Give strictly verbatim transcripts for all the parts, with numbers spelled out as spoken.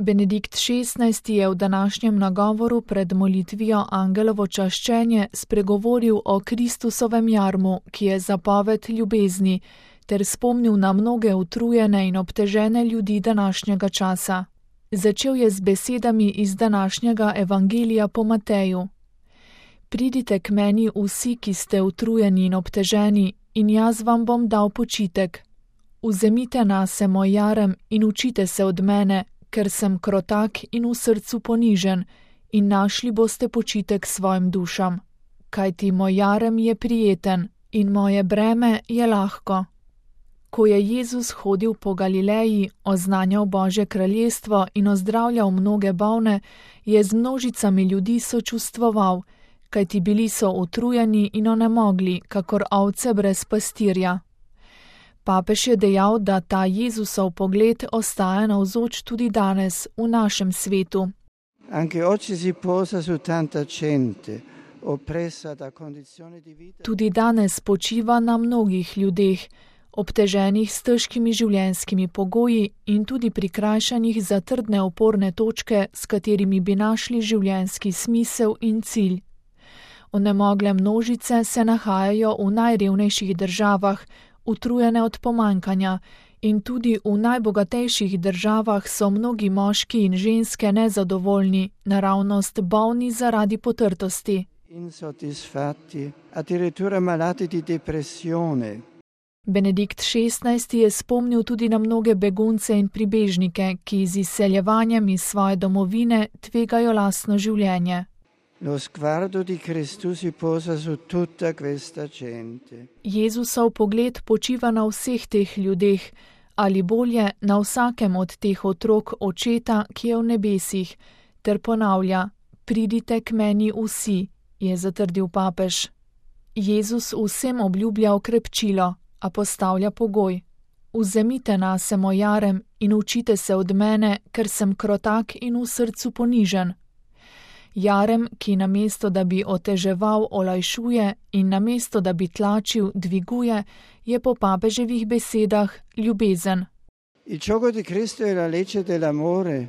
Benedikt šestnajsti je v današnjem nagovoru pred molitvijo Angelovo čaščenje spregovoril o Kristusovem jarmu, ki je zapoved ljubezni, ter spomnil na mnoge utrujene in obtežene ljudi današnjega časa. Začel je z besedami iz današnjega evangelija po Mateju. Pridite k meni vsi, ki ste utrujeni in obteženi, in jaz vam bom dal počitek. Vzemite nase moj jarem in učite se od mene, ker sem krotak in v srcu ponižen, in našli boste počitek svojim dušam. Kajti moj jarem je prijeten in moje breme je lahko. Ko je Jezus hodil po Galileji, oznanjal Božje kraljestvo in ozdravljal mnoge bolne, je z množicami ljudi sočustvoval, kajti bili so utrujeni in onemogli, kakor ovce brez pastirja. Papež je dejal, da ta Jezusov pogled ostaja navzoč tudi danes v našem svetu. Anche oggi si posa su tanta gente, oppressa da condizioni di vita. Tudi danes počiva na mnogih ljudeh, obteženih s težkimi življenjskimi pogoji in tudi prikrajšanih za trdne oporne točke, s katerimi bi našli življenjski smisel in cilj. Onemogle množice se nahajajo v najrevnejših državah, utrujene od pomankanja, in tudi v najbogatejših državah so mnogi moški in ženske nezadovoljni, naravnost bolni zaradi potrtosti. Insoddisfatti, addirittura malati di depressione. Benedikt šestnajsti je spomnil tudi na mnoge begunce in pribežnike, ki z izseljevanjem iz svoje domovine tvegajo lastno življenje. Lo sguardo di Cristo si posa su tutta questa gente. Jezusov pogled počiva na vseh teh ljudeh, ali bolje na vsakem od teh otrok očeta, ki je v nebesih, ter ponavlja: pridite k meni vsi, je zatrdil papež. Jezus vsem obljublja okrepčilo, a postavlja pogoj: vzemite nase moj jarem in učite se od mene, ker sem krotak in v srcu ponižen. Jarem, ki namesto da bi oteževal, olajšuje, in namesto da bi tlačil, dviguje, je po papeževih besedah ljubezen. Il gioco di Cristo è la legge dell'amore.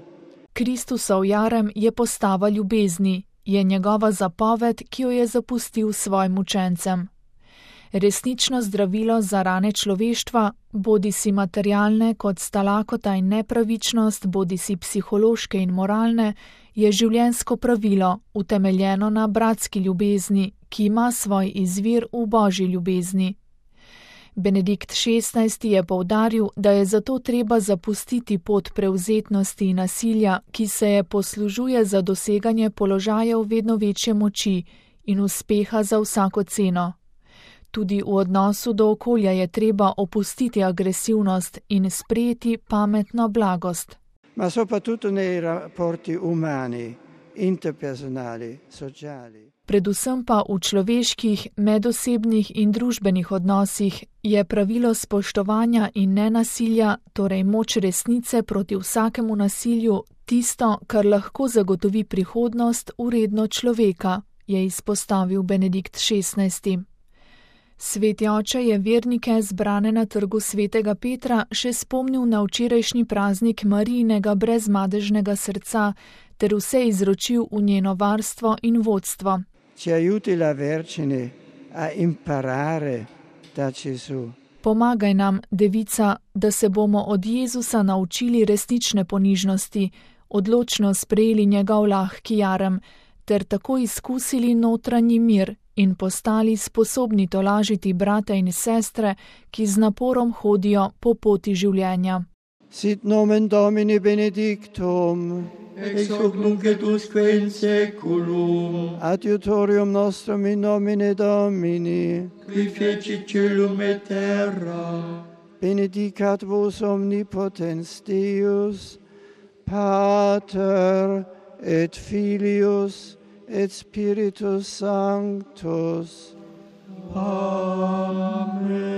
Kristusov jarem je postava ljubezni, je njegova zapoved, ki jo je zapustil svojim učencem. Resnično zdravilo za rane človeštva, bodi si materialne kot sta lakota in nepravičnost, bodi si psihološke in moralne, je življenjsko pravilo, utemeljeno na bratski ljubezni, ki ima svoj izvir v Božji ljubezni. Benedikt šestnajsti je poudaril, da je zato treba zapustiti pot prevzetnosti in nasilja, ki se je poslužuje za doseganje položajev vedno večje moči in uspeha za vsako ceno. Tudi v odnosu do okolja je treba opustiti agresivnost in sprejeti pametno blagost. Ma soprattutto nei rapporti umani, interpersonali, sociali. Predvsem pa v človeških, medosebnih in družbenih odnosih je pravilo spoštovanja in nenasilja, torej moč resnice proti vsakemu nasilju, tisto, kar lahko zagotovi prihodnost vredno človeka, je izpostavil Benedikt šestnajsti. Sveti oče je vernike zbrane na trgu svetega Petra še spomnil na včerajšnji praznik Marijinega brezmadežnega srca ter vse izročil v njeno varstvo in vodstvo. Ci aiuti la Vergine a imparare da Gesù. Pomagaj nam, devica, da se bomo od Jezusa naučili resnične ponižnosti, odločno sprejeli njegov lahki jarem ter tako izkusili notranji mir in postali sposobni tolažiti brate in sestre, ki z naporom hodijo po poti življenja. Sit nomen Domini benedictum, ex hoc nunc et usque in saeculum, adiutorium nostrum in nomine Domini, qui fecit caelum et terra. Benedicat vos omnipotens Deus, Pater et Filius et Spiritus Sanctus. Amen.